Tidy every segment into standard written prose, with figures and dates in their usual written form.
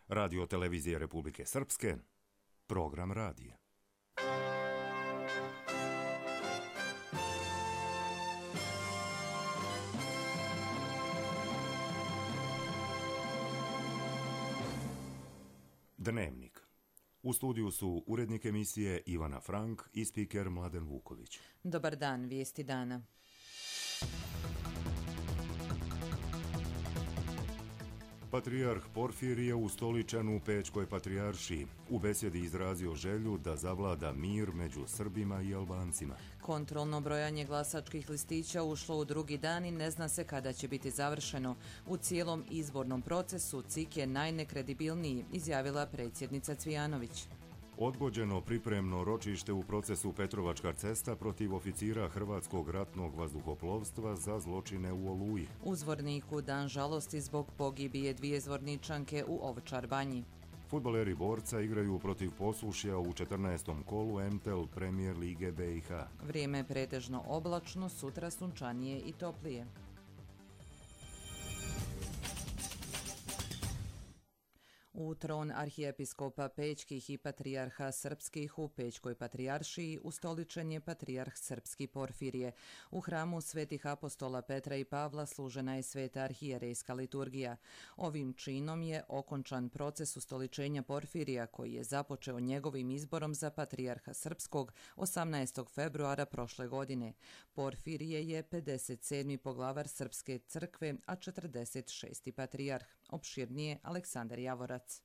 Radio Televizije Republike Srpske, program radija. Dnevnik. U studiju su urednik emisije Ivana Frank i spiker Mladen Vuković. Dobar dan, vijesti dana. Patrijarh Porfirije ustoličen u Pećkoj patrijaršiji. U besjedi izrazio želju da zavlada mir među Srbima i Albancima. Kontrolno brojanje glasačkih listića ušlo u drugi dan i ne zna se kada će biti završeno. U cijelom izbornom procesu CIK je najnekredibilniji, izjavila predsjednica Cvijanović. Odgođeno pripremno ročište u procesu Petrovačka cesta protiv oficira Hrvatskog ratnog vazduhoplovstva za zločine u Oluji. U Zvorniku dan žalosti zbog pogibije 2 zvorničanke u Ovčar Banji. Fudbaleri Borca igraju protiv Posušja u 14. kolu MTEL Premier Lige BiH. Vrijeme je pretežno oblačno, sutra sunčanije i toplije. U tron arhijepiskopa Pećkih i patrijarha srpskih u Pećkoj patrijaršiji ustoličen je patrijarh srpski Porfirije. U hramu svetih apostola Petra i Pavla služena je sveta arhijerejska liturgija. Ovim činom je okončan proces ustoličenja Porfirija koji je započeo njegovim izborom za patrijarha srpskog 18. februara prošle godine. Porfirije je 57. poglavar Srpske crkve, a 46. patrijarh. Opširnije Aleksandar Javorac.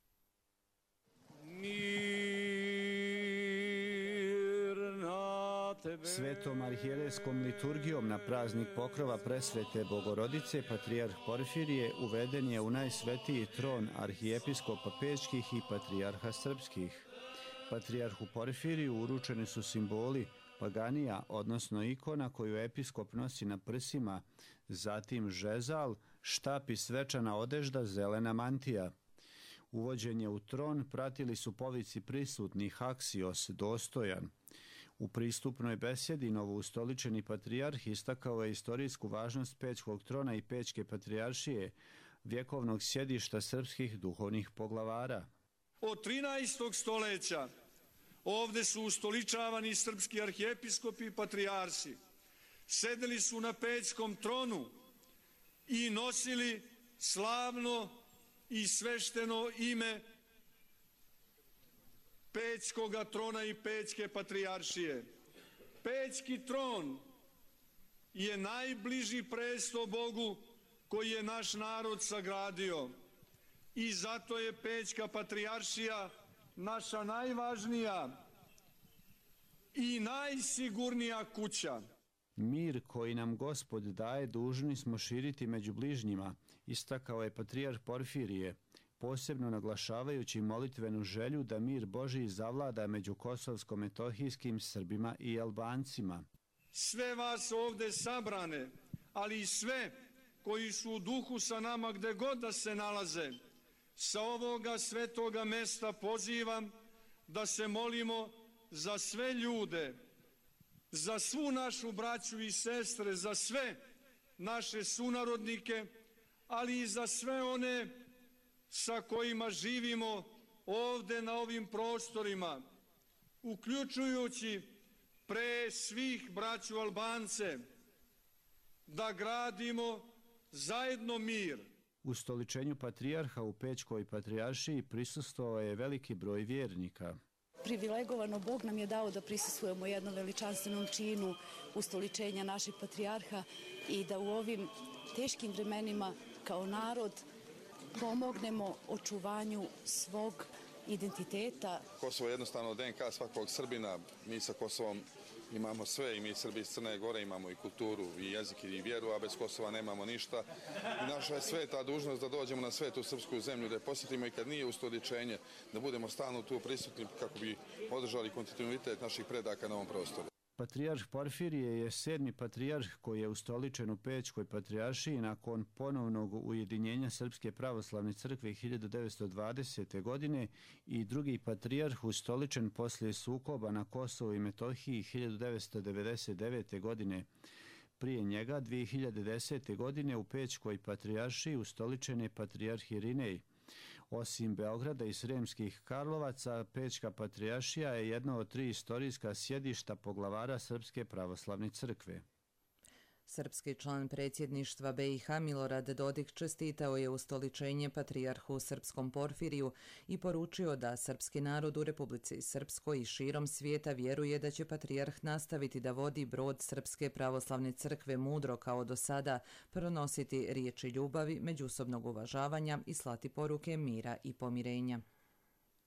Svetom arhijerejskom liturgijom na praznik pokrova presvete Bogorodice patrijarh Porfirije uveden je u najsvetiji tron arhijepiskopa Pećkih i patrijarha srpskih. Patrijarhu Porfiriju uručeni su simboli paganija, odnosno ikona koju episkop nosi na prsima, zatim žezal, štap i svečana odežda, zelena mantija. Uvođenje u tron pratili su povici prisutnih aksios, dostojan. U pristupnoj besjedi novoustoličeni patrijarh istakao je istorijsku važnost Pećkog trona i Pećke patrijaršije, vjekovnog sjedišta srpskih duhovnih poglavara. Od 13. stoljeća ovdje su ustoličavani srpski arhijepiskopi i patrijarsi. Sedeli su na Pećkom tronu i nosili slavno i svešteno ime Pećkoga trona i Pećke patrijaršije. Pećki tron je najbliži presto Bogu koji je naš narod sagradio i zato je Pećka patrijaršija naša najvažnija i najsigurnija kuća. Mir koji nam Gospod daje dužni smo širiti među bližnjima, istakao je patrijarh Porfirije, posebno naglašavajući molitvenu želju da mir Božji zavlada među kosovsko-metohijskim Srbima i Albancima. Sve vas ovdje sabrane, ali i sve koji su u duhu sa nama gde god da se nalaze, sa ovoga svetoga mesta pozivam da se molimo za sve ljude, za svu našu braću i sestre, za sve naše sunarodnike, ali i za sve one sa kojima živimo ovdje na ovim prostorima, uključujući pre svih braću Albance, da gradimo zajedno mir. U stoličenju patrijarha u Pećkoj patrijaršiji prisustvovao je veliki broj vjernika. Privilegovano Bog nam je dao da prisustvujemo jednom veličanstvenom činu ustoličenja naših patrijarha i da u ovim teškim vremenima kao narod pomognemo očuvanju svog identiteta. Kosovo je jednostavno DNK svakog Srbina. Mi sa Kosovom imamo sve i mi Srbi iz Crne Gore imamo i kulturu i jezik i vjeru, a bez Kosova nemamo ništa. I naša je sveta dužnost da dođemo na svetu srpsku zemlju, da je posjetimo i kad nije ustoličenje, da budemo stalno tu prisutni kako bi održali kontinuitet naših predaka na ovom prostoru. Patrijarh Porfirije je 7. patrijarh koji je ustoličen u Pećkoj patrijaršiji nakon ponovnog ujedinjenja Srpske pravoslavne crkve 1920. godine i drugi patrijarh ustoličen poslije sukoba na Kosovu i Metohiji 1999. godine. Prije njega 2010. godine u Pećkoj patrijaršiji ustoličen je patrijarh Irinej. Osim Beograda i Sremskih Karlovaca, Pećka patrijaršija je jedno od 3 istorijska sjedišta poglavara Srpske pravoslavne crkve. Srpski član predsjedništva BiH Milorad Dodik čestitao je ustoličenje patrijarhu srpskom Porfiriju i poručio da srpski narod u Republici Srpskoj i širom svijeta vjeruje da će patrijarh nastaviti da vodi brod Srpske pravoslavne crkve mudro kao do sada, pronositi riječi ljubavi, međusobnog uvažavanja i slati poruke mira i pomirenja.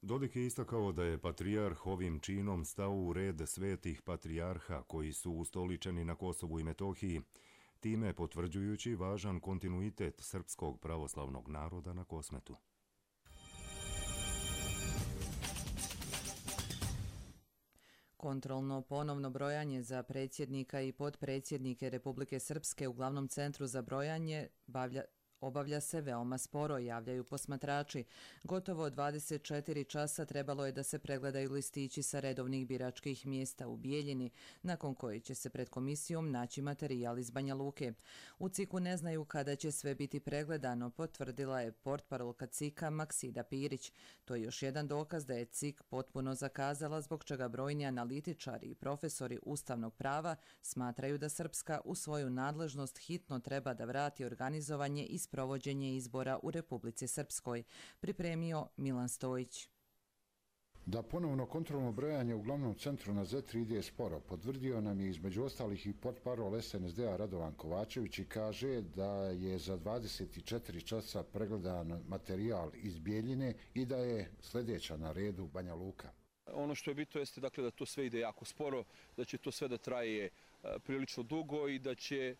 Dodik je istakao da je patrijarh ovim činom stao u red svetih patrijarha koji su ustoličeni na Kosovu i Metohiji, time potvrđujući važan kontinuitet srpskog pravoslavnog naroda na Kosmetu. Kontrolno ponovno brojanje za predsjednika i potpredsjednike Republike Srpske u glavnom centru za brojanje obavlja se veoma sporo, javljaju posmatrači. Gotovo 24 časa trebalo je da se pregledaju listići sa redovnih biračkih mjesta u Bijeljini, nakon koje će se pred komisijom naći materijal iz Banja Luke. U CIK-u ne znaju kada će sve biti pregledano, potvrdila je portparolka CIK-a Maksida Pirić. To je još jedan dokaz da je CIK potpuno zakazala, zbog čega brojni analitičari i profesori ustavnog prava smatraju da Srpska u svoju nadležnost hitno treba da vrati organizovanje i provođenje izbora u Republici Srpskoj, pripremio Milan Stojić. Da ponovno kontrolno brojanje u glavnom centru na Zetri ide sporo, potvrdio nam je između ostalih i portparol SNSD-a Radovan Kovačević i kaže da je za 24 časa pregledan materijal iz Bijeljine i da je sljedeća na redu Banja Luka. Ono što je bitno jeste dakle, da to sve ide jako sporo, da će to sve da traje prilično dugo i da će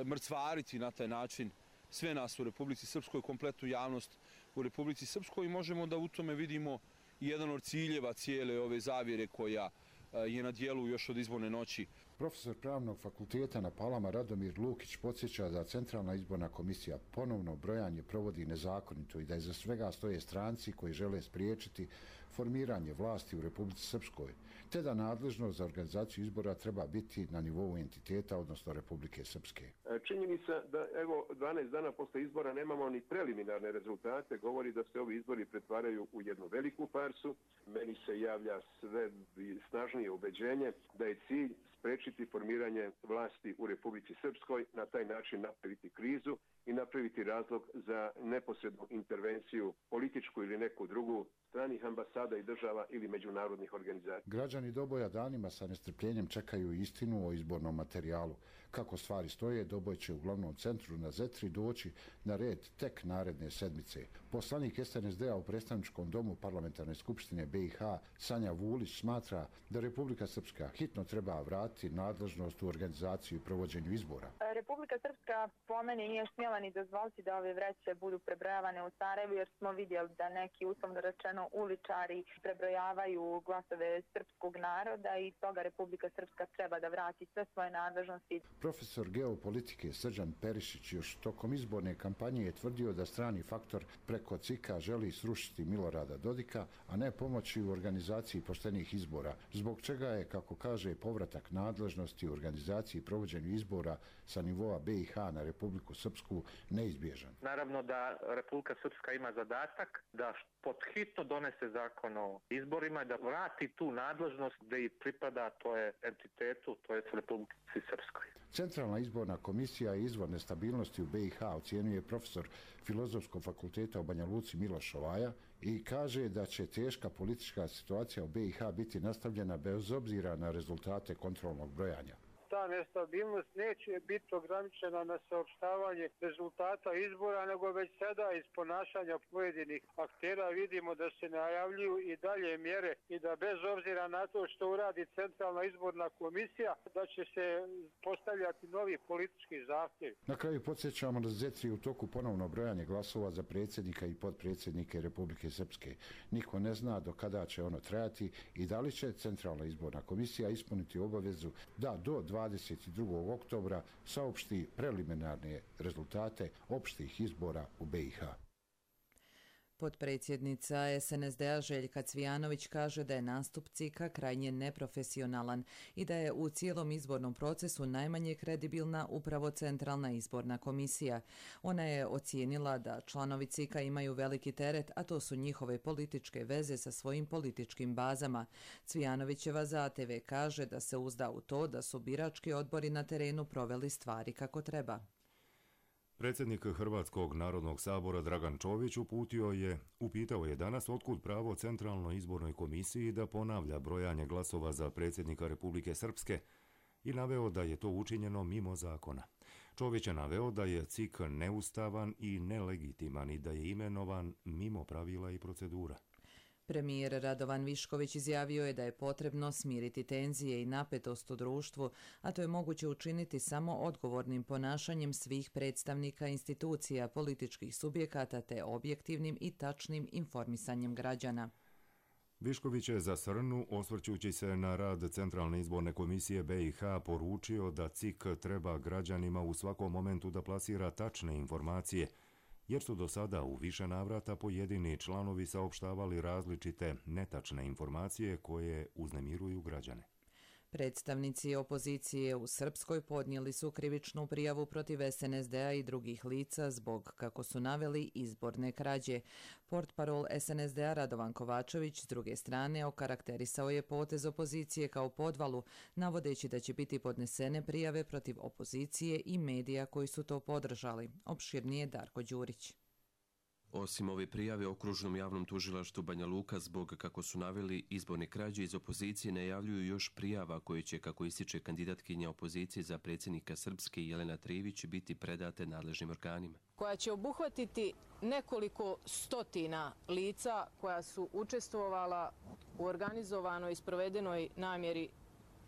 mrcvariti na taj način sve nas u Republici Srpskoj, kompletnu javnost u Republici Srpskoj i možemo da u tome vidimo jedan od ciljeva cijele ove zavjere koja je na dijelu još od izborne noći. Profesor Pravnog fakulteta na Palama Radomir Lukić podsjeća da Centralna izborna komisija ponovno brojanje provodi nezakonito i da iza svega stoje stranci koji žele spriječiti formiranje vlasti u Republici Srpskoj, te da nadležnost za organizaciju izbora treba biti na nivou entiteta, odnosno Republike Srpske. Činjenica da evo 12 dana posle izbora nemamo ni preliminarne rezultate, govori da se ovi izbori pretvaraju u jednu veliku farsu. Meni se javlja sve snažnije ubeđenje da je cilj sprečiti formiranje vlasti u Republici Srpskoj, na taj način napraviti krizu i napraviti razlog za neposrednu intervenciju političku ili neku drugu stranih ambasada i država ili međunarodnih organizacija. Građani Doboja danima sa nestrpljenjem čekaju istinu o izbornom materijalu. Kako stvari stoje, Doboj će u glavnom centru na Zetri doći na red tek naredne sedmice. Poslanik SNSD-a u predstavničkom domu Parlamentarne skupštine BiH Sanja Vulić smatra da Republika Srpska hitno treba vratiti nadležnost u organizaciju i provođenju izbora. Republika Srpska po meni nije smjela ni dozvoliti da ove vreće budu prebrojavane u Sarajevu, jer smo vidjeli da neki, uslovno rečeno, uličari prebrojavaju glasove srpskog naroda i toga Republika Srpska treba da vrati sve svoje nadležnosti. Profesor geopolitike Srđan Perišić još tokom izborne kampanje je tvrdio da strani faktor preko CIK-a želi srušiti Milorada Dodika, a ne pomoći u organizaciji poštenih izbora, zbog čega je, kako kaže, povratak nadležnosti u organizaciji i provođenju izbora sa nivoa BiH na Republiku Srpsku neizbježan. Naravno da Republika Srpska ima zadatak da podhitno donese zakon o izborima, da vrati tu nadležnost gde i pripada, to je entitetu, to je Republici Srpskoj. Centralna izborna komisija i izvor nestabilnosti u BiH ocjenjuje profesor Filozofskog fakulteta u Banja Luci Miloš Šovaja i kaže da će teška politička situacija u BiH biti nastavljena bez obzira na rezultate kontrolnog brojanja. Ta nestabilnost neće biti ograničena na saopštavanje rezultata izbora, nego već sada iz ponašanja pojedinih aktera vidimo da se najavljuju i dalje mjere i da bez obzira na to što uradi Centralna izborna komisija, da će se postavljati novi politički zahtjevi. Na kraju podsjećamo da Zetri u toku ponovno brojanje glasova za predsjednika i potpredsjednike Republike Srpske. Niko ne zna do kada će ono trajati i da li će Centralna izborna komisija ispuniti obavezu da do 22. oktobra saopšti preliminarne rezultate opštih izbora u BiH. Potpredsjednica SNSD-a Željka Cvijanović kaže da je nastup CIK-a krajnje neprofesionalan i da je u cijelom izbornom procesu najmanje kredibilna upravo Centralna izborna komisija. Ona je ocijenila da članovi CIK-a imaju veliki teret, a to su njihove političke veze sa svojim političkim bazama. Cvijanovićeva za ATV kaže da se uzda u to da su birački odbori na terenu proveli stvari kako treba. Predsjednik Hrvatskog narodnog sabora Dragan Čović upitao je danas otkud pravo Centralnoj izbornoj komisiji da ponavlja brojanje glasova za predsjednika Republike Srpske i naveo da je to učinjeno mimo zakona. Čović je naveo da je CIK neustavan i nelegitiman i da je imenovan mimo pravila i procedura. Premijer Radovan Višković izjavio je da je potrebno smiriti tenzije i napetost u društvu, a to je moguće učiniti samo odgovornim ponašanjem svih predstavnika institucija, političkih subjekata te objektivnim i tačnim informisanjem građana. Višković je za Srnu, osvrćući se na rad Centralne izborne komisije BiH, poručio da CIK treba građanima u svakom momentu da plasira tačne informacije, jer su do sada u više navrata pojedini članovi saopštavali različite netačne informacije koje uznemiruju građane. Predstavnici opozicije u Srpskoj podnijeli su krivičnu prijavu protiv SNSD-a i drugih lica zbog, kako su naveli, izborne krađe. Portparol SNSD-a Radovan Kovačević s druge strane okarakterisao je potez opozicije kao podvalu, navodeći da će biti podnesene prijave protiv opozicije i medija koji su to podržali. Opširnije Darko Đurić. Osim ove prijave Okružnom javnom tužilaštvu Banja Luka zbog, kako su naveli, izborne krađe iz opozicije najavljuju još prijava koje će, kako ističe kandidatkinja opozicije za predsjednika Srpske Jelena Trijević, biti predate nadležnim organima. Koja će obuhvatiti nekoliko stotina lica koja su učestvovala u organizovanoj i sprovedenoj namjeri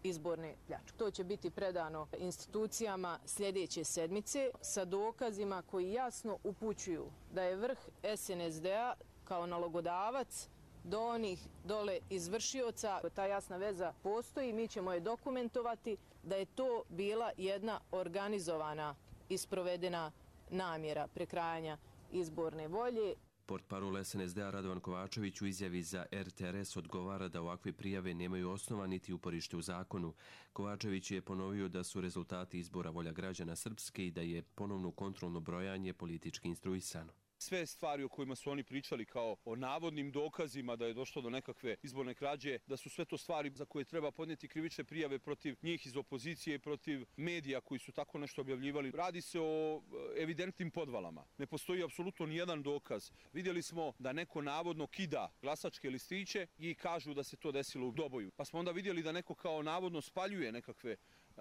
izborne pljačke. To će biti predano institucijama sljedeće sedmice sa dokazima koji jasno upućuju da je vrh SNSD-a kao nalogodavac do onih dole izvršioca. Ta jasna veza postoji, mi ćemo je dokumentovati da je to bila jedna organizovana i sprovedena namjera prekrajanja izborne volje. Portparol SNSD-a Radovan Kovačević u izjavi za RTRS odgovara da ovakve prijave nemaju osnova niti uporište u zakonu. Kovačević je ponovio da su rezultati izbora volja građana Srpske i da je ponovno kontrolno brojanje politički instruisano. Sve stvari o kojima su oni pričali kao o navodnim dokazima da je došlo do nekakve izborne krađe, da su sve to stvari za koje treba podnijeti krivične prijave protiv njih iz opozicije i protiv medija koji su tako nešto objavljivali. Radi se o evidentnim podvalama. Ne postoji apsolutno nijedan dokaz. Vidjeli smo da neko navodno kida glasačke listiće i kažu da se to desilo u Doboju. Pa smo onda vidjeli da neko kao navodno spaljuje nekakve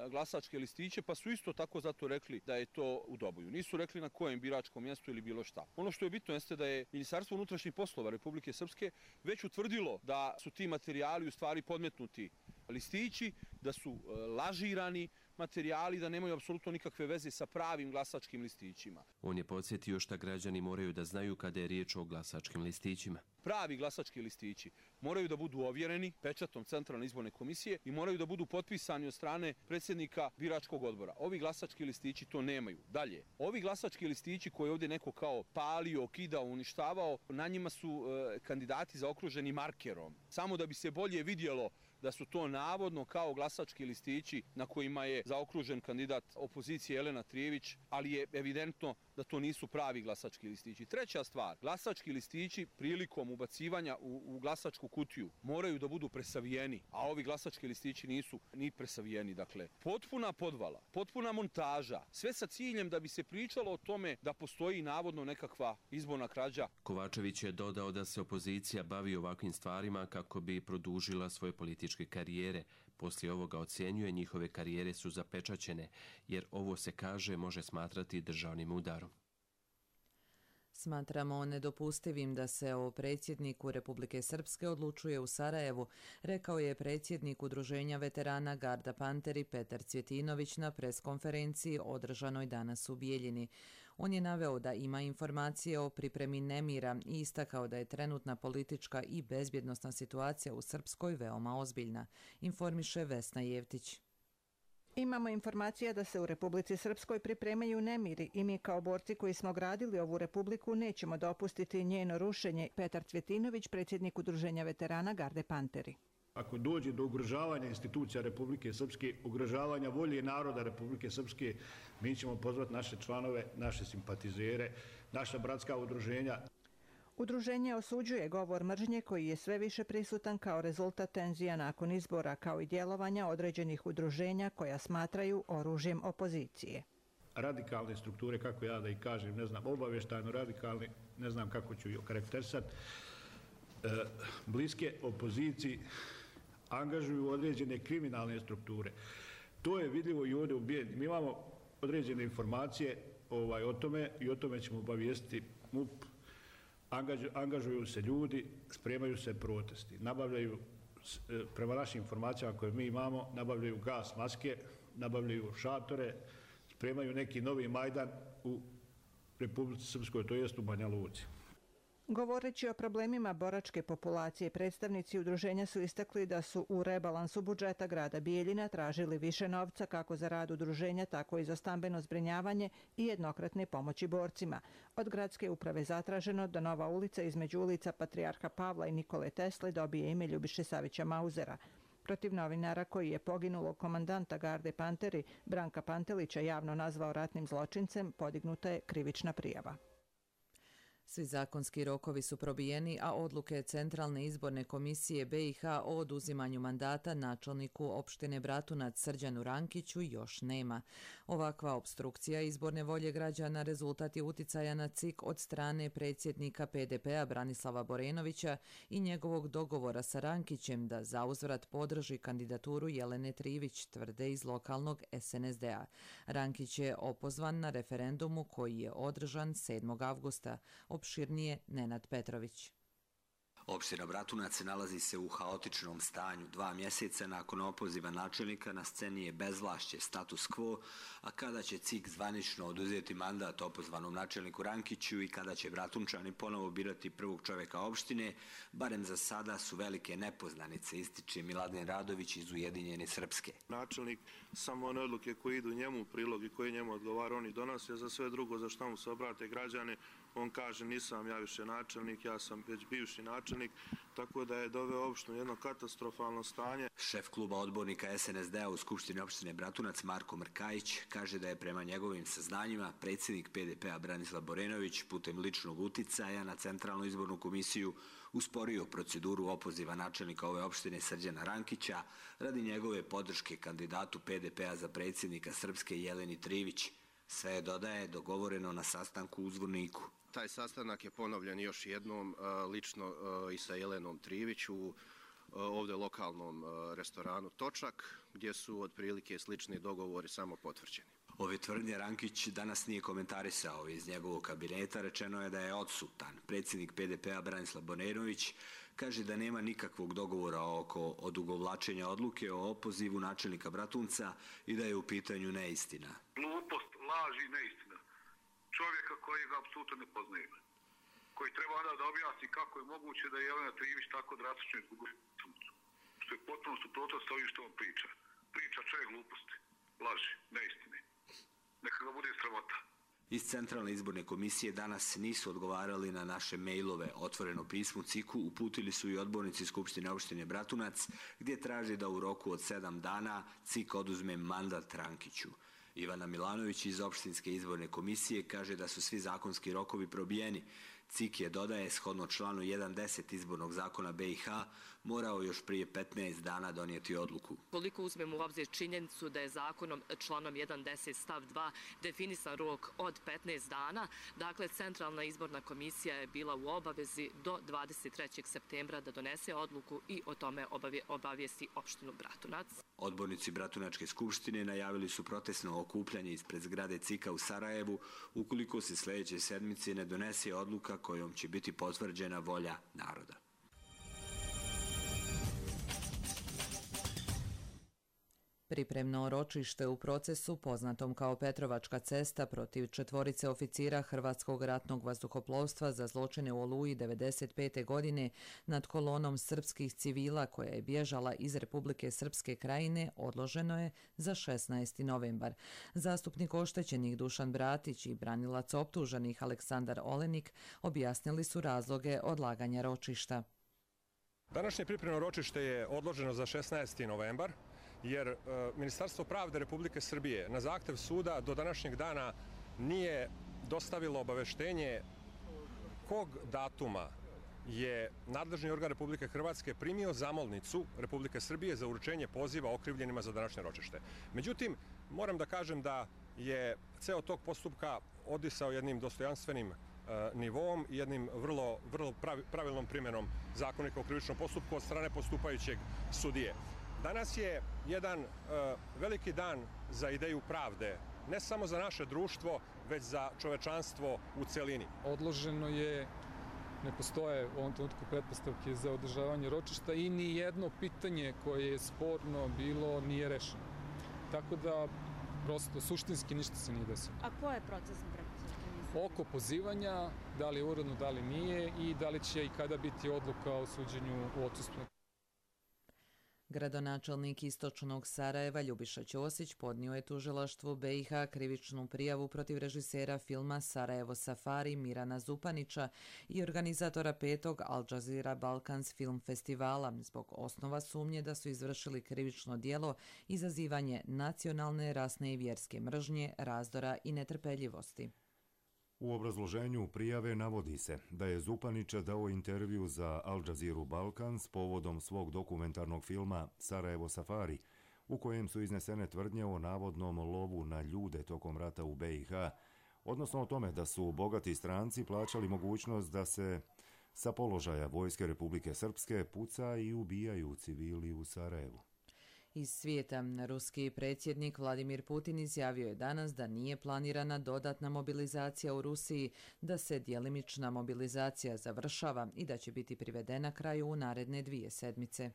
glasačke listiće, pa su isto tako zato rekli da je to u Doboju. Nisu rekli na kojem biračkom mjestu ili bilo šta. Ono što je bitno jeste da je Ministarstvo unutrašnjih poslova Republike Srpske već utvrdilo da su ti materijali u stvari podmetnuti listići, da su lažirani materijali, da nemaju apsolutno nikakve veze sa pravim glasačkim listićima. On je podsjetio šta građani moraju da znaju kada je riječ o glasačkim listićima. Pravi glasački listići moraju da budu ovjereni pečatom Centralne izborne komisije i moraju da budu potpisani od strane predsjednika biračkog odbora. Ovi glasački listići to nemaju. Dalje, ovi glasački listići koje ovdje neko kao palio, kidao, uništavao, na njima su kandidati zaokruženi markerom. Samo da bi se bolje vidjelo da su to navodno kao glasački listići na kojima je zaokružen kandidat opozicije Jelena Trijević, ali je evidentno da to nisu pravi glasački listići. Treća stvar, glasački listići prilikom ubacivanja u glasačku kutiju moraju da budu presavijeni, a ovi glasački listići nisu ni presavijeni. Dakle, potpuna podvala, potpuna montaža, sve sa ciljem da bi se pričalo o tome da postoji navodno nekakva izborna krađa. Kovačević je dodao da se opozicija bavi ovakvim stvarima kako bi produžila svoje političke karijere. Poslije ovoga ocjenjuje njihove karijere su zapečaćene, jer ovo se kaže može smatrati državnim udarom. Smatramo nedopustivim da se o predsjedniku Republike Srpske odlučuje u Sarajevu, rekao je predsjednik Udruženja veterana Garda Panteri Petar Cvjetinović na preskonferenciji održanoj danas u Bijeljini. On je naveo da ima informacije o pripremi nemira i istakao da je trenutna politička i bezbjednosna situacija u Srpskoj veoma ozbiljna, informiše Vesna Jevtić. Imamo informacija da se u Republici Srpskoj pripremaju nemiri i mi kao borci koji smo gradili ovu republiku nećemo dopustiti njeno rušenje. Petar Cvjetinović, predsjednik Udruženja veterana Garde Panteri. Ako dođe do ugrožavanja institucija Republike Srpske, ugrožavanja volje naroda Republike Srpske, mi ćemo pozvati naše članove, naše simpatizere, naša bratska udruženja. Udruženje osuđuje govor mržnje koji je sve više prisutan kao rezultat tenzija nakon izbora, kao i djelovanja određenih udruženja koja smatraju oružjem opozicije. Radikalne strukture, kako ja da ih kažem, ne znam, obavještajno radikalne, ne znam kako ću ih okarakterisati, bliske opoziciji angažuju određene kriminalne strukture. To je vidljivo i ovdje u Bijeljni. Mi imamo određene informacije o tome i o tome ćemo obavijestiti MUP. Angažuju se ljudi, spremaju se protesti, nabavljaju, prema našim informacijama koje mi imamo, nabavljaju gas maske, nabavljaju šatore, spremaju neki novi Majdan u Republici Srpskoj, to jest u Banja Luci. Govoreći o problemima boračke populacije, predstavnici udruženja su istakli da su u rebalansu budžeta grada Bijeljina tražili više novca kako za rad udruženja, tako i za stambeno zbrinjavanje i jednokratne pomoći borcima. Od gradske uprave zatraženo da nova ulica između ulica Patrijarha Pavla i Nikole Tesle dobije ime Ljubiše Savića Mauzera. Protiv novinara koji je poginulog komandanta Garde Panteri Branka Pantelića javno nazvao ratnim zločincem, podignuta je krivična prijava. Svi zakonski rokovi su probijeni, a odluke Centralne izborne komisije BiH o oduzimanju mandata načelniku opštine Bratunac Srđanu Rankiću još nema. Ovakva opstrukcija izborne volje građana rezultat je uticaja na CIK od strane predsjednika PDP-a Branislava Borenovića i njegovog dogovora sa Rankićem da zauzvrat podrži kandidaturu Jelene Trivić, tvrde iz lokalnog SNSD-a. Rankić je opozvan na referendumu koji je održan 7. avgusta. Opširnije Nenad Petrović. Opština Bratunac nalazi se u haotičnom stanju. 2 mjeseca nakon opoziva načelnika na sceni je bezvlašće, status quo, a kada će CIK zvanično oduzeti mandat opozvanom načelniku Rankiću i kada će Bratunčani ponovo birati prvog čovjeka opštine, barem za sada su velike nepoznanice, ističe Miladin Radović iz Ujedinjene Srpske. Načelnik samo one odluke koje idu njemu u prilog i koje njemu odgovara, oni donose, za sve drugo za što mu se obrate građane, on kaže nisam ja više načelnik, ja sam već bivši načelnik, tako da je doveo opštinu jedno katastrofalno stanje. Šef kluba odbornika SNSD-a u Skupštini opštine Bratunac Marko Mrkajić kaže da je prema njegovim saznanjima predsjednik PDP-a Branislav Borenović putem ličnog uticaja na Centralnu izbornu komisiju usporio proceduru opoziva načelnika ove opštine Srđana Rankića radi njegove podrške kandidatu PDP-a za predsjednika Srpske Jeleni Trivić. Sve je, dodaje, dogovoreno na sastanku u Zvorniku. Taj sastanak je ponovljen još jednom lično i sa Jelenom Trivić u ovdje lokalnom restoranu Točak, gdje su otprilike slični dogovori samo potvrđeni. Ove tvrdnje Rankić danas nije komentarisao. Iz njegovog kabineta rečeno je da je odsutan. Predsjednik PDP-a Branislav Borenović kaže da nema nikakvog dogovora oko odugovlačenja odluke o opozivu načelnika Bratunca i da je u pitanju neistina. Glupost, laž i neistina. Čovjeka koji ga apsolutno ne poznaje. Koji treba onda da objasni kako je moguće da je Jelena Trivić tako drastično izgubila funkciju. Što je potpuno suprotno sa ovim što on priča. Priča čovjek gluposti, laži, neistine. Neka ga bude sramota. Iz Centralne izborne komisije danas nisu odgovarali na naše mejlove. Otvoreno pismo CIK-u uputili su i odbornici Skupštine opštine Bratunac, gdje traži da u roku od 7 dana CIK oduzme mandat Rankiću. Ivana Milanović iz opštinske izborne komisije kaže da su svi zakonski rokovi probijeni. CIK je, dodaje, shodno članu 1.10 izbornog zakona BiH, morao još prije 15 dana donijeti odluku. Koliko uzmemo u obzir činjenicu da je zakonom članom 1.10 stav 2 definisan rok od 15 dana, dakle Centralna izborna komisija je bila u obavezi do 23. septembra da donese odluku i o tome obavijesti opštinu Bratunac. Odbornici Bratunačke skupštine najavili su protestno okupljanje ispred zgrade CIK-a u Sarajevu ukoliko se sljedeće sedmice ne donese odluka kojom će biti potvrđena volja naroda. Pripremno ročište u procesu, poznatom kao Petrovačka cesta, protiv 4 oficira Hrvatskog ratnog vazduhoplovstva za zločine u Oluji 1995. godine nad kolonom srpskih civila koja je bježala iz Republike Srpske Krajine, odloženo je za 16. novembar. Zastupnik oštećenih Dušan Bratić i branilac optuženih Aleksandar Olenik objasnili su razloge odlaganja ročišta. Današnje pripremno ročište je odloženo za 16. novembar. Jer Ministarstvo pravde Republike Srbije na zahtev suda do današnjeg dana nije dostavilo obaveštenje kog datuma je nadležni organ Republike Hrvatske primio zamolnicu Republike Srbije za uručenje poziva okrivljenima za današnje ročište. Međutim, moram da kažem da je ceo tog postupka odisao jednim dostojanstvenim nivom i jednim vrlo pravilnom primjenom Zakonika o krivičnom postupku od strane postupajućeg sudije. Danas je jedan veliki dan za ideju pravde, ne samo za naše društvo, već za čovečanstvo u celini. Odloženo je, ne postoje u ovom trenutku pretpostavke za održavanje ročišta i ni jedno pitanje koje je sporno bilo nije rešeno. Tako da, prosto, suštinski ništa se nije desilo. A ko je procesni pretpostavke? Oko pozivanja, da li je uredno, da li nije i da li će i kada biti odluka o suđenju u odsustvu. Gradonačelnik Istočnog Sarajeva Ljubiša Ćosić podnio je tužilaštvu BiH krivičnu prijavu protiv režisera filma Sarajevo Safari Mirana Zupanića i organizatora 5. Al Jazeera Balkans film festivala zbog osnova sumnje da su izvršili krivično djelo izazivanje nacionalne, rasne i vjerske mržnje, razdora i netrpeljivosti. U obrazloženju prijave navodi se da je Zupanića dao intervju za Al Jazeera Balkans povodom svog dokumentarnog filma Sarajevo Safari, u kojem su iznesene tvrdnje o navodnom lovu na ljude tokom rata u BiH, odnosno o tome da su bogati stranci plaćali mogućnost da se sa položaja Vojske Republike Srpske puca i ubijaju civili u Sarajevu. Iz svijeta, ruski predsjednik Vladimir Putin izjavio je danas da nije planirana dodatna mobilizacija u Rusiji, da se djelimična mobilizacija završava i da će biti privedena kraju u naredne 2 sedmice.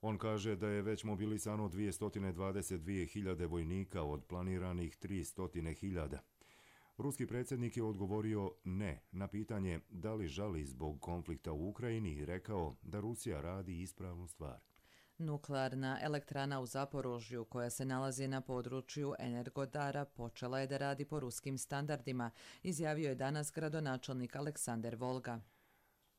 On kaže da je već mobilisano 222.000 vojnika od planiranih 300.000. Ruski predsjednik je odgovorio ne na pitanje da li žali zbog konflikta u Ukrajini i rekao da Rusija radi ispravnu stvar. Nuklearna elektrana u Zaporožju, koja se nalazi na području Energodara, počela je da radi po ruskim standardima, izjavio je danas gradonačelnik Aleksandar Volga.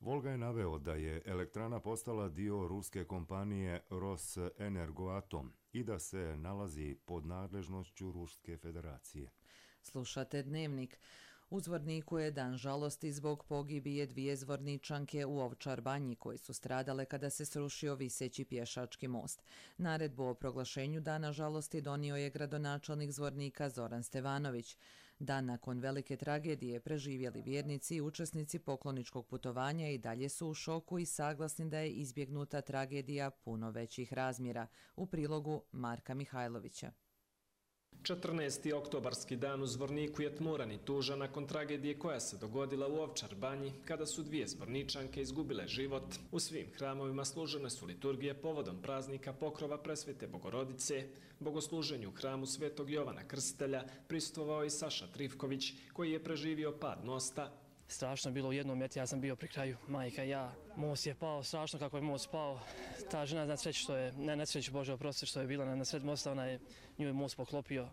Volga je naveo da je elektrana postala dio ruske kompanije Rosenergoatom i da se nalazi pod nadležnošću Ruske federacije. Slušate Dnevnik. U Zvorniku je dan žalosti zbog pogibije 2 zvorničanke u Ovčar Banji koji su stradale kada se srušio viseći pješački most. Naredbu o proglašenju dana žalosti donio je gradonačelnik Zvornika Zoran Stevanović. Dan nakon velike tragedije preživjeli vjernici i učesnici pokloničkog putovanja i dalje su u šoku i saglasni da je izbjegnuta tragedija puno većih razmjera. U prilogu Marka Mihajlovića. 14. oktobarski dan u Zvorniku je tmuran i tužan nakon tragedije koja se dogodila u Ovčar Banji kada su 2 zvorničanke izgubile život. U svim hramovima služene su liturgije povodom praznika Pokrova Presvete Bogorodice. Bogosluženju u hramu Svetog Jovana Krstitelja prisustvovao i Saša Trifković koji je preživio pad mosta. Strašno je bilo u jednom meti, ja sam bio pri kraju, majka i ja. Most je pao, strašno kako je most pao. Ta žena na sreću što je, ne na sreću Bože oprosti, što je bila na sred mosta, nju je most poklopio.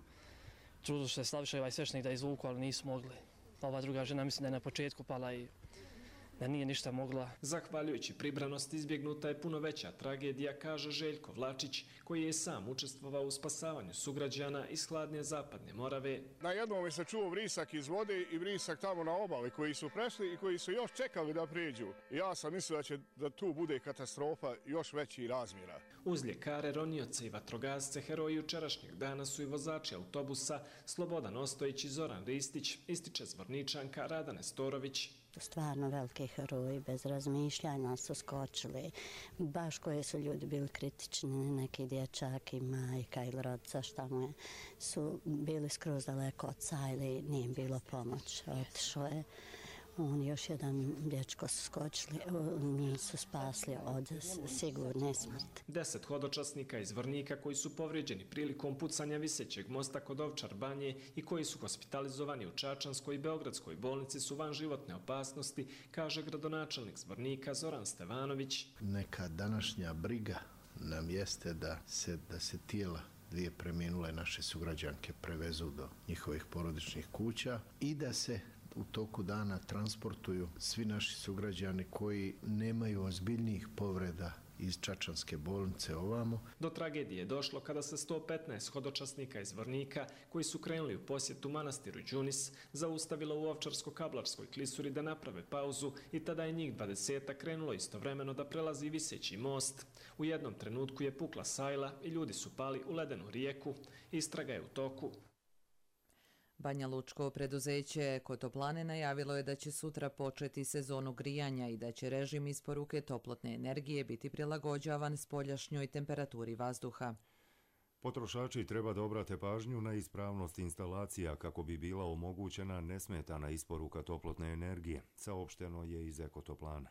Trudilo se Slaviša i ovaj svešnik da izvuku, ali nisu mogli. Ova druga žena mislim da je na početku pala i da nije ništa mogla. Zahvaljujući pribranosti izbjegnuta je puno veća tragedija, kaže Željko Vlačić, koji je sam učestvovao u spasavanju sugrađana iz hladne zapadne Morave. Na jednom se čuo vrisak iz vode i vrisak tamo na obali koji su prešli i koji su još čekali da prijeđu. Ja sam mislio da tu bude katastrofa još većih razmjera. Uz ljekare, ronioce i vatrogasce, heroji jučerašnjeg dana su i vozači autobusa Slobodan Ostojić i Zoran Ristić, ističe Zvorničanka Rada Nestorović. Stvarno veliki heroji, bez razmišljanja su skočili. Baš koji su ljudi bili kritični, neki dječak i majka ili rodca, šta mu je, su bili skroz daleko od oca ili nije im bilo pomoć. Otišao je On još jedan dječko su skočili, njih su spasli od sigurne smrti. 10 hodočasnika iz Zvornika koji su povrijeđeni prilikom pucanja visećeg mosta kod Ovčar Banje i koji su hospitalizovani u Čačanskoj i Beogradskoj bolnici su van životne opasnosti, kaže gradonačelnik Zvornika Zoran Stevanović. Neka današnja briga nam jeste da se tijela dvije preminule naše sugrađanke prevezu do njihovih porodičnih kuća i da se u toku dana transportuju svi naši sugrađani koji nemaju ozbiljnijih povreda iz Čačanske bolnice ovamo. Do tragedije je došlo kada se 115 hodočasnika iz Zvornika, koji su krenuli u posjetu manastiru Đunis, zaustavilo u Ovčarsko-Kablarskoj klisuri da naprave pauzu i tada je njih 20 krenulo istovremeno da prelazi viseći most. U jednom trenutku je pukla sajla i ljudi su pali u ledenu rijeku. Istraga je u toku. Banja Lučko preduzeće Kotoplane najavilo je da će sutra početi sezonu grijanja i da će režim isporuke toplotne energije biti prilagođavan spoljašnjoj temperaturi vazduha. Potrošači treba da obrate pažnju na ispravnost instalacija kako bi bila omogućena nesmetana isporuka toplotne energije, saopšteno je iz Ekotoplana.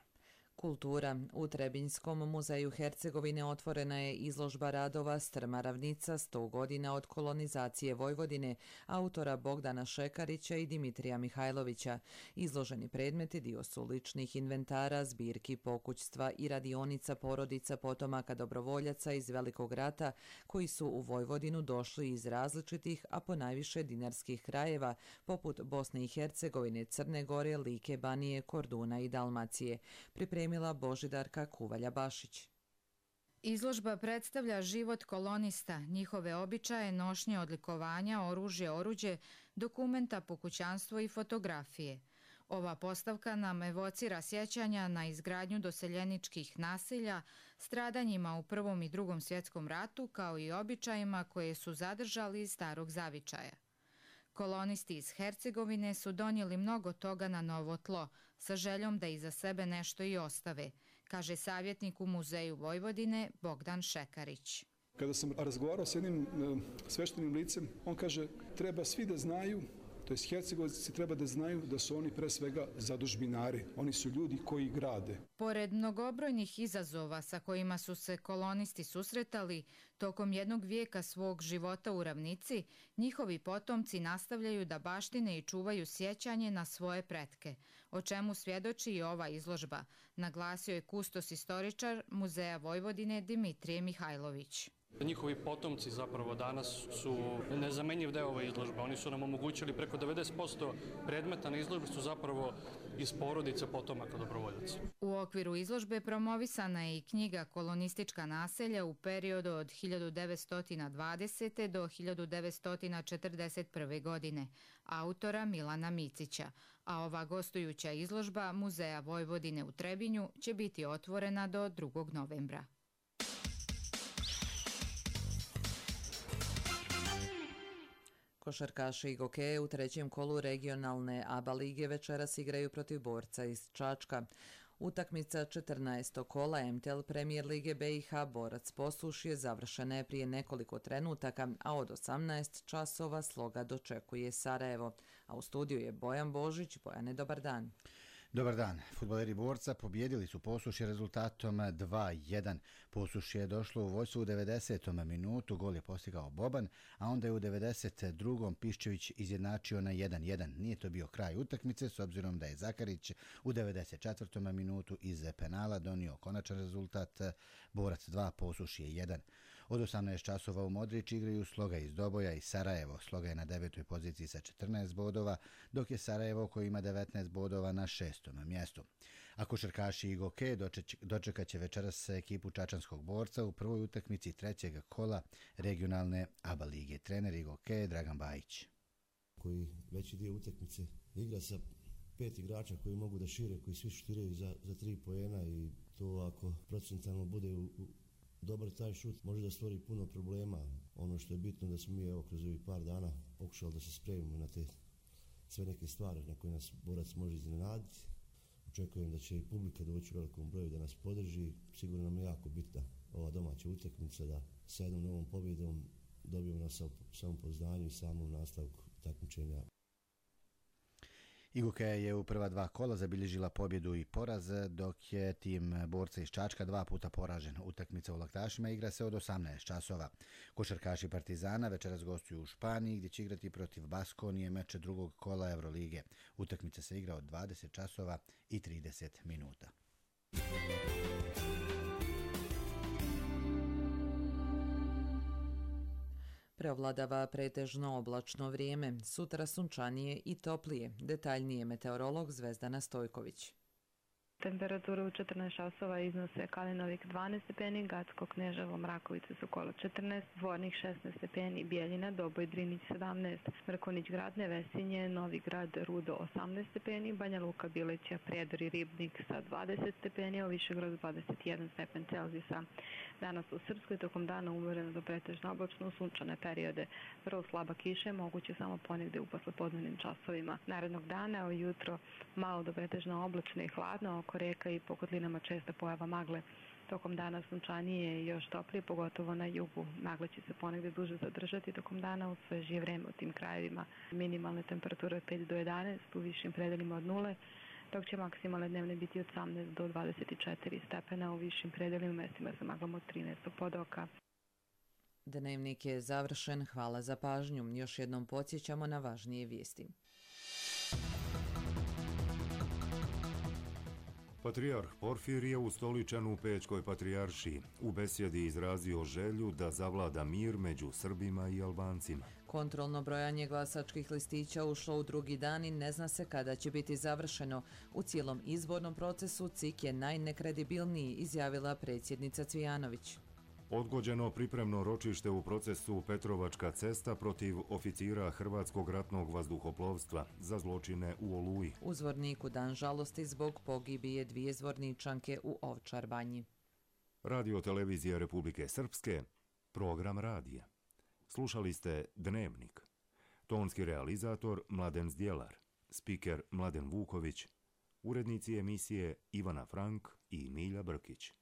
Kultura. U Trebinjskom muzeju Hercegovine otvorena je izložba radova Strma ravnica 100 godina od kolonizacije Vojvodine, autora Bogdana Šekarića i Dimitrija Mihajlovića. Izloženi predmeti dio su ličnih inventara, zbirki pokućstva i radionica porodica potomaka dobrovoljaca iz Velikog rata koji su u Vojvodinu došli iz različitih, a ponajviše dinarskih krajeva, poput Bosne i Hercegovine, Crne Gore, Like, Banije, Korduna i Dalmacije. Pripremila Božidarka Kuvalja-Bašić. Izložba predstavlja život kolonista, njihove običaje, nošnje, odlikovanja, oružje, oruđe, dokumenta, pokućanstvo i fotografije. Ova postavka nam evocira sjećanja na izgradnju doseljeničkih naselja, stradanjima u Prvom i Drugom svjetskom ratu, kao i običajima koje su zadržali iz starog zavičaja. Kolonisti iz Hercegovine su donijeli mnogo toga na novo tlo, sa željom da iza sebe nešto i ostave, kaže savjetnik u Muzeju Vojvodine Bogdan Šekarić. Kada sam razgovarao s jednim sveštenim licem, on kaže treba svi da znaju, to jest Hercegovci treba da znaju da su oni pre svega zadužbinari, oni su ljudi koji grade. Pored mnogobrojnih izazova sa kojima su se kolonisti susretali, tokom jednog vijeka svog života u ravnici, njihovi potomci nastavljaju da baštine i čuvaju sjećanje na svoje pretke, o čemu svjedoči i ova izložba, naglasio je kustos istoričar Muzeja Vojvodine Dimitrije Mihajlović. Njihovi potomci zapravo danas su nezamenjiv deo ove izložbe. Oni su nam omogućili preko 90% predmeta na izložbi su zapravo iz porodice potomaka dobrovoljaca. U okviru izložbe promovisana je i knjiga Kolonistička naselja u periodu od 1920. do 1941. godine, autora Milana Micića, a ova gostujuća izložba Muzeja Vojvodine u Trebinju će biti otvorena do 2. novembra. Košarkaši i gokeje u trećem kolu regionalne ABA lige večeras igraju protiv Borca iz Čačka. Utakmica 14. kola MTL Premier lige BiH Borac Posušje završena je prije nekoliko trenutaka, a od 18 časova Sloga dočekuje Sarajevo. A u studiju je Bojan Božić. Bojane, dobar dan. Dobar dan. Fudbaleri Borca pobjedili su Posušje rezultatom 2-1. Posušje je došlo u vođstvo u 90. minutu, gol je postigao Boban, a onda je u 92. Piščević izjednačio na 1-1. Nije to bio kraj utakmice, s obzirom da je Zakarić u 94. minutu iz penala donio konačan rezultat Borac 2, Posušje 1. Od 18 časova u Modrić igraju Sloga iz Doboja i Sarajevo. Sloga je na 9. poziciji sa 14 bodova, dok je Sarajevo koji ima 19 bodova na 6. mjestu. A košarkaši i goke dočekat će večeras ekipu Čačanskog Borca u prvoj utakmici trećeg kola regionalne ABA lige. Trener i goke Dragan Bajić. Koji veći dio utakmice igra sa 5 igrača koji mogu da šire, koji svi šutiraju za 3 poena i to ako procentalno bude dobar taj šut može da stvori puno problema. Ono što je bitno da smo mi kroz ovih par dana pokušali da se spremimo na te sve neke stvari na koje nas Borac može iznenaditi. Očekujem da će i publika doći u velikom broju da nas podrži. Sigurno nam je jako bitna ova domaća utakmica da sa jednom novom pobjedom dobijemo na samopouzdanje i samom nastavku takmičenja. Iguke je u prva 2 kola zabilježila pobjedu i poraz, dok je tim borca iz Čačka 2 puta poražen. Utakmica u Laktašima igra se od 18 časova. Košarkaši Partizana večeras gostuju u Španiji, gdje će igrati protiv Baskonije meče drugog kola Evrolige. Utakmica se igra od 20 časova i 30 minuta. Preovladava pretežno oblačno vrijeme, sutra sunčanije i toplije. Detaljnije meteorolog Zvezdana Stojković. Temperatura u 14 časova iznose Kalinovik 12 stepeni, Gacko, Kneževo, Mrakovice, Sokolo 14, Zvornik 16 stepeni, Bijeljina, Doboj, Drinić 17, Mrkonić grad, Nevesinje, Novi grad, Rudo 18 stepeni, Banja Luka, Bileća, Prijedor i Ribnik sa 20 stepeni, a u Višegradu 21 stepen Celzijusa. Danas u Srpskoj tokom dana umereno do pretežno oblačno, sunčane periode. Vrlo slaba kiša je moguće samo ponegde u poslepodnevnim časovima. Narednog dana ujutro malo do pretežno oblačno i hladno, oko reka i po kotlinama česta pojava magle. Tokom dana sunčanije i još toplije, pogotovo na jugu. Magle će se ponegde duže zadržati tokom dana u svežije vreme u tim krajevima. Minimalne temperature od 5 do 11, u višim predelima od 0, dok će maksimalne dnevne biti od 18 do 24 stepena, u višim predelima mestima sa maglom od 13 podoka. Dnevnik je završen, hvala za pažnju. Još jednom podsjećamo na važnije vijesti. Patrijarh Porfirije ustoličen u Pećkoj patrijaršiji. U besjedi izrazio želju da zavlada mir među Srbima i Albancima. Kontrolno brojanje glasačkih listića ušlo u drugi dan i ne zna se kada će biti završeno. U cijelom izbornom procesu CIK je najnekredibilniji, izjavila predsjednica Cvijanović. Odgođeno pripremno ročište u procesu Petrovačka cesta protiv oficira Hrvatskog ratnog vazduhoplovstva za zločine u Oluji. U Zvorniku dan žalosti zbog pogibije 2 zvorničanke u Ovčar Banji. Radio televizija Republike Srpske, program radija. Slušali ste Dnevnik. Tonski realizator Mladen Zdjelar, spiker Mladen Vuković, urednici emisije Ivana Frank i Milja Brkić.